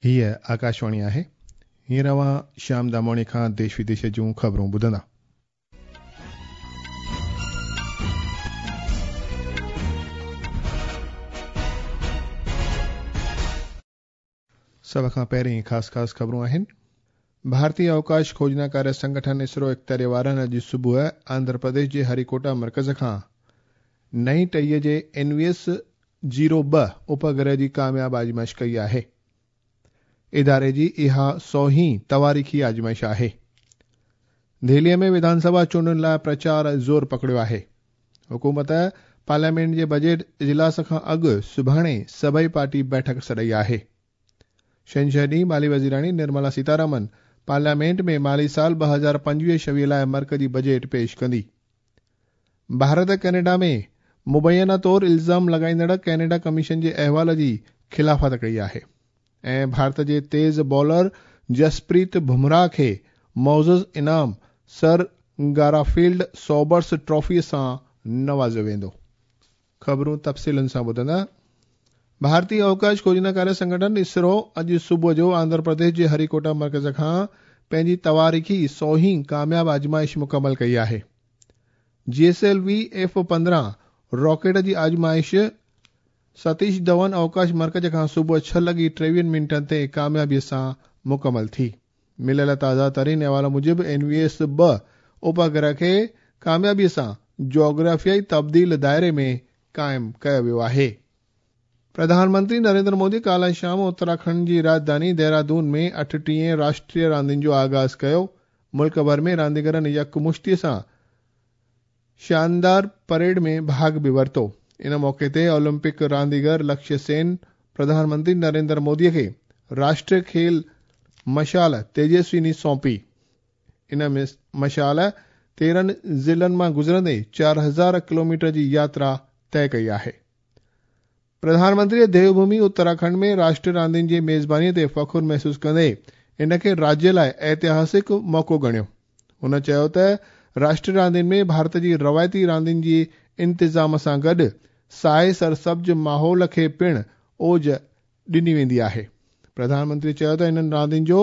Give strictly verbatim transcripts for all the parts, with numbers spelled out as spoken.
हीअ आकाशवाणी आहे। हींअर अव्हां श्याम दामोणी खां देश विदेश जूं ख़बरूं ॿुधंदा। सभ खां पहिरीं ख़ासि ख़ासि ख़बरूं आहिनि। भारतीय अवकाश खोजना कार्य संगठन इसरो इख़्तियारी वारनि अॼु सुबुह आंध्र प्रदेश जे हरिकोटा मर्कज़ खां नई टीह जे एन वी एस ज़ीरो ॿ उपग्रह जी कामयाब आज़माइश कई आहे। इदारे जी इहा सौहीं तवारीख़ी आज़माइश आहे। दिल्लीअ में विधानसभा चूंडुनि लाइ प्रचार ज़ोर पकड़ियो आहे। हुकूमत पार्लियामेंट जे बजट इजलास खां अॻु सुभाणे सभई पार्टी बैठक सॾाई आहे। छंछर ॾींहुं माली वज़ीराणी निर्मला सीतारमन पार्लियामेंट में माली साल ॿ हज़ार पंजवीह छवीह लाइ मर्कज़ी बजट पेश कंदी। भारत कनाडा में मुबैना तौर इल्ज़ाम लॻाईंदड़ कनाडा कमीशन जे अहवाल जी ख़िलाफ़त कई आहे। ऐं भारत जे तेज़ बॉलर जसप्रीत बुमराह खे मौज़ इनाम सर गाराफील्ड सोबर्स ट्रॉफी सां नवाज़ियो वेंदो। ख़बरूं तफ़सीलनि सां ॿुधंदा। भारतीय अवकाश खोजना कार्य संगठन इसरो अॼु सुबुह जो आंध्र प्रदेश जे हरिकोटा मर्कज़ खां पंहिंजी तवारीख़ी सौहीं कामयाब आज़माइश मुकमल कई आहे। G S L V F पंद्रहं रॉकेट जी आज़माइश सतीश धवन अवकाश मर्कज़ खां सुबुह छह लॻी टेवीहनि मिंटनि ते कामयाबीअ सां मुकमल थी। मिलियल ताज़ा तरीन अहवाल मूजिबि एन वी एस ॿ उपग्रह खे कामयाबीअ सां जोग्राफियाई तब्दील दायरे में क़ाइमु कयो वियो आहे। प्रधानमंत्री नरेंद्र मोदी काल्ह शाम उत्तराखंड जी राजधानी देहरादून में अठटीह राष्ट्रीय रांदियुनि जो आगाज़ कयो। मुल्क भर में रांदीगरनि यकमुश्ती सां शानदार परेड में भाॻ बि वरितो। इन मौक़े ते ओलंपिक रांदीगर लक्ष्य सेन प्रधानमंत्री नरेंद्र मोदीअ खे राष्ट्रीय खेल मशाल तेजस्विनी सौंपी। इन मशाल तेरहं ज़िलनि मां गुज़रंदे चारि हज़ार किलोमीटर जी यात्रा तय कई आहे। प्रधानमंत्री देवभूमि उत्तराखंड में राष्ट्रीय रांदियुनि जी मेज़बानीअ ते फ़ख़ुरु महसूसु कंदे इन खे राज्य लाइ ऐतिहासिक मौक़ो ॻणियो। हुन चयो त राष्ट्रीय रांदियुनि में भारत जी रवायती रांदियुनि जी इंतिज़ाम सां गॾु साए सरसब्ज़ माहौल खे पिणु ओज ॾिनी वेंदी आहे। प्रधानमंत्री चयो त इन्हनि रांदियुनि जो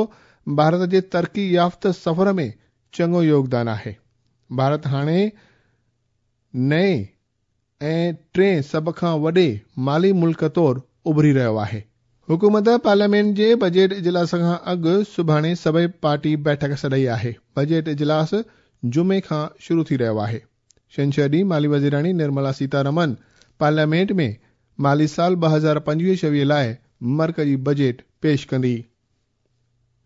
भारत जे तरक़ी याफ़्त सफ़र में चङो योगदान आहे। भारत हाणे नए ऐं टे सभ खां वॾे माली मुल्क तौर उभरी रहियो आहे। हुकूमत पार्लियामेंट जे बजट इजलास खां अॻु सुभाणे सभई पार्टी बैठक सॾाई आहे। बजट इजलास जुमे खां शुरू थी रहियो आहे। छंछर ॾींहुं माली वज़ीराणी निर्मला सीतारमन पार्लियामेंट में माली साल ॿ हज़ार पंजवीह छवीह लाइ मर्कज़ी बजट पेश कंदी।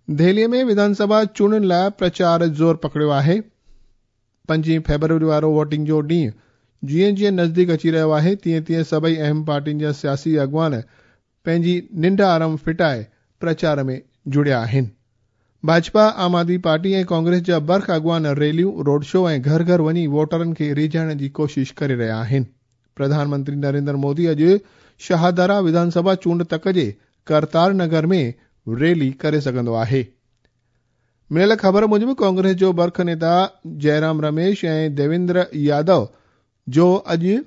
दिल्लीअ में विधानसभा चूंडुनि लाइ प्रचार ज़ोर पकड़ियो आहे। पंजीह फेब्रुअरी वारो वोटिंग जो ॾींहुं जीअं जीअं नज़दीक अची रहियो आहे तीअं तीअं सभई अहम पार्टियुनि जा सियासी अॻवान पंहिंजी निंड आराम फिटाए प्रचार में जुड़िया आहिनि। भाजपा, आम आदमी पार्टी ऐं कांग्रेस जा बर्ख अॻवान रैलियूं, रोड शो ऐं घर घर वञी वोटरनि खे रीझाइण जी कोशिश करे रहिया आहिनि। प्रधानमंत्री नरेंद्र मोदी अॼु शाहदरा विधानसभा चूंड तक जे करतार नगर में रैली करे सघंदो आहे। मिलियल ख़बर मूजिबि कांग्रेस जो बर्ख नेता जयराम रमेश ऐं देवेंद्र यादव जो अॼु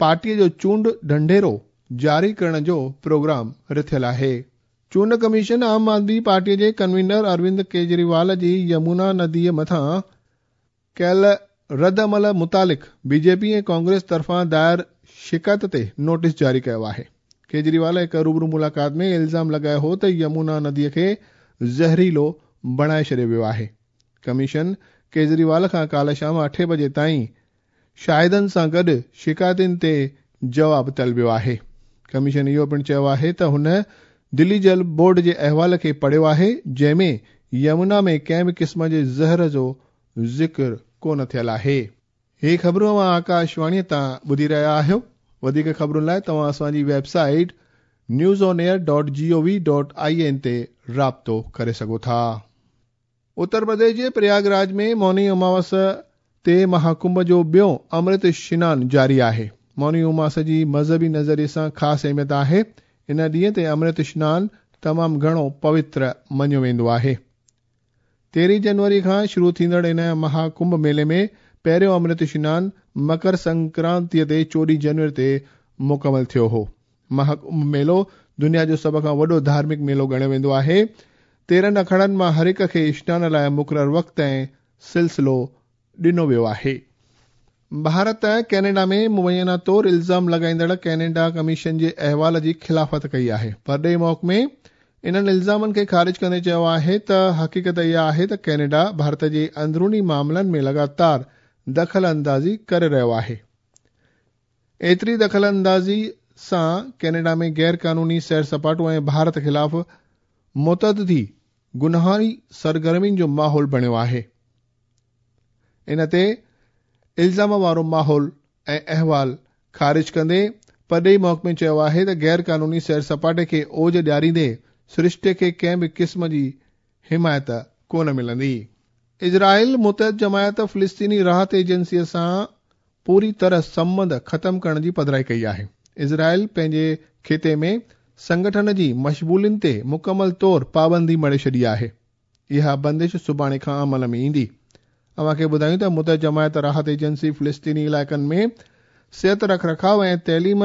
पार्टीअ जो चूंड ढंढेरो जारी करण जो प्रोग्राम रिथियल आहे। चूंड कमीशन आम आदमी पार्टीअ जे कन्वीनर अरविंद केजरीवाल जी यमुना नदीअ मथां कयल रद्द अमल मुतालिक़ बीजेपी ऐं कांग्रेस तरफ़ां दायर शिकायत ते नोटिस जारी कयो आहे। केजरीवाल हिकु रूबरू मुलाक़ात में इल्ज़ाम लॻायो हो त यमुना नदीअ खे ज़हरीलो बणाए छॾियो वियो आहे। कमीशन केजरीवाल खां काल्ह शाम अठे बजे ताईं शाहिदनि सां गॾु शिकायतुनि ते जवाब तलबियो आहे। कमीशन इहो पिणु चयो आहे त हुन दिल्ली जल बोर्ड जे अहवाल खे पढ़ियो आहे जंहिंमें यमुना में कंहिं बि क़िस्म जे ज़हर जो ज़िक्र कोन थियल आहे। ही ख़बरूं अव्हां आकाशवाणीअ तां ॿुधी रहिया आहियो। वधीक ख़बरुनि लाइ तव्हां असांजी website news on air dot G O V dot I N ते राब्तो करे सघो था। उत्तर प्रदेश जे प्रयागराज में मौनी अमावस ते महाकुंभ जो ॿियो अमृत स्नान जारी आहे। मौनी उमास जी मज़हबी नज़रिए सां ख़ासि अहमियत आहे। इन ॾींहं ते अमृत स्नान तमामु घणो पवित्र मञियो वेंदो आहे। तेरहीं जनवरी खां शुरू थींदड़ इन महाकुंभ मेले में पहिरियों अमृत स्नान मकर संक्रांतीअ ते चोॾहीं जनवरी ते मुकमल थियो हो। महाकुंभ मेलो दुनिया जो सभ खां वॾो धार्मिक मेलो ॻणियो वेंदो आहे। तेरहं अखाड़नि मां हर हिक खे इशनान लाइ मुक़ररु वक़्तु ऐं सिलसिलो ॾिनो वियो आहे। भारत कैनेडा में मुबैना तौर इल्ज़ाम लॻाईंदड़ कैनेडा कमीशन जे अहवाल जी ख़िलाफ़त कई आहे। परॾेही महकमे इन्हनि इल्ज़ामनि खे ख़ारिज कंदे चयो आहे त हक़ीक़त इहा आहे त कैनेडा भारत जे अंदरूनी मामलनि में लगातार दख़ल अंदाज़ी करे रहियो आहे। एतिरी दख़ल अंदाज़ी सां कैनेडा में गैर कानूनी सैर सपाटो ऐं भारत ख़िलाफ़ मुतअद्दिदी गुनाही सरगर्मियुनि जो माहौल बणियो आहे। इन ते इल्ज़ाम वारो माहौल ऐं अहवाल ख़ारिज कंदे परॾेही महकमे चयो आहे त गैर कानूनी सैर सपाटे खे ओज ॾियारींदे सृष्टि खे कंहिं बि क़िस्म जी हिमायत कोन मिलंदी। इज़राइल मुतहद जमायत फ़िलिस्तीनी राहत एजेंसीअ सां पूरी तरह संबंध ख़त्म करण जी पधराई कई आहे। इज़राइल पंहिंजे ख़िते में संगठन जी मशबूलिन ते मुकमल तौर पाबंदी मढ़े छॾी आहे। इहा बंदिश सुभाणे खां अमल में ईंदी। अव्हां खे ॿुधायूं त मुतहद जमायत राहत एजेंसी फ़िलिस्तीनी इलाइक़नि में सिहत रखरखाव ऐं तइलीम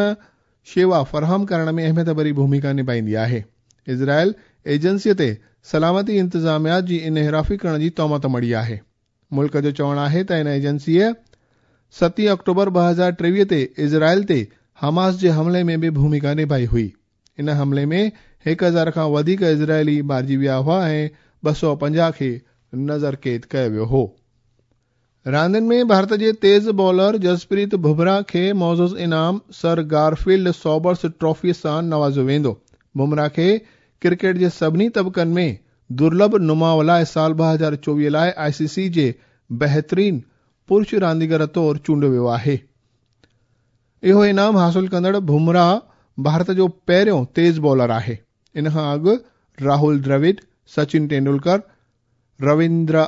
शेवा फराहम करण में अहमियत भरी भूमिका निभाईंदी आहे। इज़राइल एजेंसीअ ते सलामती इंतिज़ामिया जी इनहिराफ़ी करण जी तोहमत मढ़ी आहे। मुल्क जो चवणु आहे त इन एजेंसीअ सतीं अक्टूबर ॿ हज़ार टेवीह ते इज़राइल ते हमास जे हमले में बि भूमिका निभाई हुई। इन हमले में हिकु हज़ार खां वधीक इज़राइली मारिजी विया हुआ ऐं ॿ सौ पंजाह खे नज़र क़ैद कयो वियो हो। रांदियुनि में भारत जे तेज़ बॉलर जसप्रीत बुमराह खे मौज़ूज़ इनाम सर गारफील्ड सॉबर्स ट्रॉफी सां नवाज़ियो वेंदो। बुमराह खे क्रिकेट जे सभिनी तबक़नि में दुर्लभ नुमाउ लाइ साल ॿ हज़ार चोवीह लाइ आई सी सी जे बहितरीन पुरुष रांदीगर तौर चूंडियो वियो आहे। इहो इनाम हासिल कंदड़ बुमराह भारत जो पहिरियों तेज़ बॉलर आहे। इन खां अॻु राहुल द्रविड़, सचिन तेंदुलकर, रविंद्र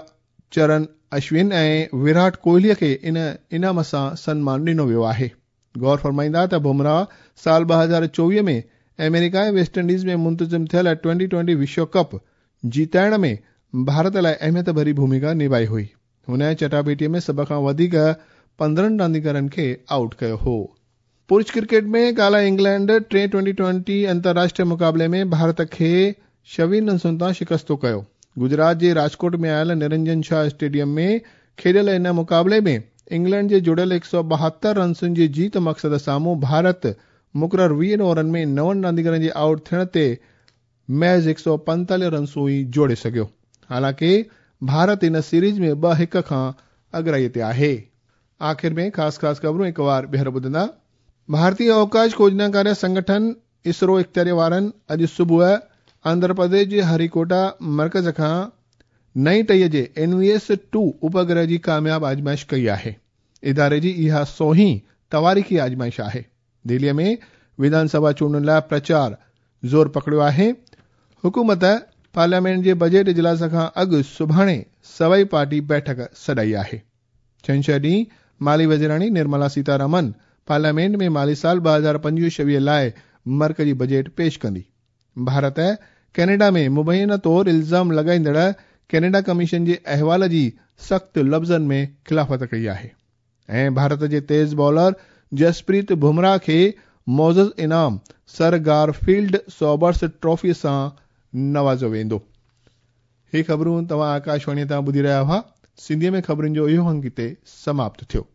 चरण अश्विन ऐं विराट कोहलीअ खे इन इनाम सां सनमान ॾिनो वियो आहे। गौर फरमाईंदा त बुमराह साल ॿ हज़ार चोवीह में अमेरिका ऐं वेस्ट इंडीज़ में मुंतज़िम थियल ट्वेंटी ट्वेंटी विश्व कप जीताइण में भारत लाइ अहमियत भरी भूमिका निभाई हुई। हुन चटापेटीअ में सभ खां वधीक पंद्रहं रांदीगरनि खे आउट कयो हो। पुरुष क्रिकेट में काल्ह इंग्लैंड टे ट्वेंटी ट्वेंटी अंतर्राष्ट्रीय मुक़ाबले में भारत खे छवीह रनसुनि तां शिकस्तो कयो। गुजरात जे राजकोट में आयल निरंजन शाह स्टेडियम में खेॾियल इन मुक़ाबले में इंग्लैंड जे जुड़ियल हिकु सौ ॿाहतरि रनसुनि जे जीत मक़सद साम्हूं भारत मुक़ररु वीहनि ओवरनि में नवनि रांदीगरनि जे आउट थियण ते महज़ हिकु सौ पंतालीह रनसूं ई जोड़े सघियो। हालांकि भारत इन सीरीज़ में ॿ हिकु खां अॻिराईअ ते आहे। आख़िर में ख़ासि ख़ासि ख़बरूं हिकु वार ॿीहर ॿुधंदा। भारतीय अवकाश खोजना कार्य संगठन इसरो इख़्तियारी वारनि अॼु सुबुह आंध्र प्रदेश जे हरिकोटा मर्कज़ खां नई टीह जे एन वी एस टू उपग्रह जी कामयाब आज़माइश कई आहे। इदारे जी इहा सोहीं तवारीख़ी आज़माइश आहे। दिल्लीअ में विधानसभा चूंडुनि लाइ प्रचार ज़ोर पकड़ियो आहे। हुकूमत पार्लियामेंट जे बजट इजलास खां अॻु सुभाणे सवई पार्टी बैठक सॾाई आहे। छंछर ॾींहुं माली वज़ीराणी निर्मला सीतारमन पार्लियामेंट में माली साल ॿ हज़ार पंजवीह छवीह लाइ मर्कज़ी बजट पेश कंदी। भारत कैनेडा में मुबैना तौर इल्ज़ाम लॻाईंदड़ कैनेडा कमीशन जे अहवाल जी सख़्त लफ़्ज़नि में ख़िलाफ़त कई आहे ऐं भारत जे तेज़ बॉलर जसप्रीत बुमराह खे मौज़ूज़ इनाम सर गारफील्ड सॉबर्स ट्रॉफी सां नवाज़ियो वेंदो। ही ख़बरूं तव्हां आकाशवाणीअ तां ॿुधी रहिया हुआ। सिंधीअ में ख़बरुनि जो इहो अंग हिते समाप्त थियो।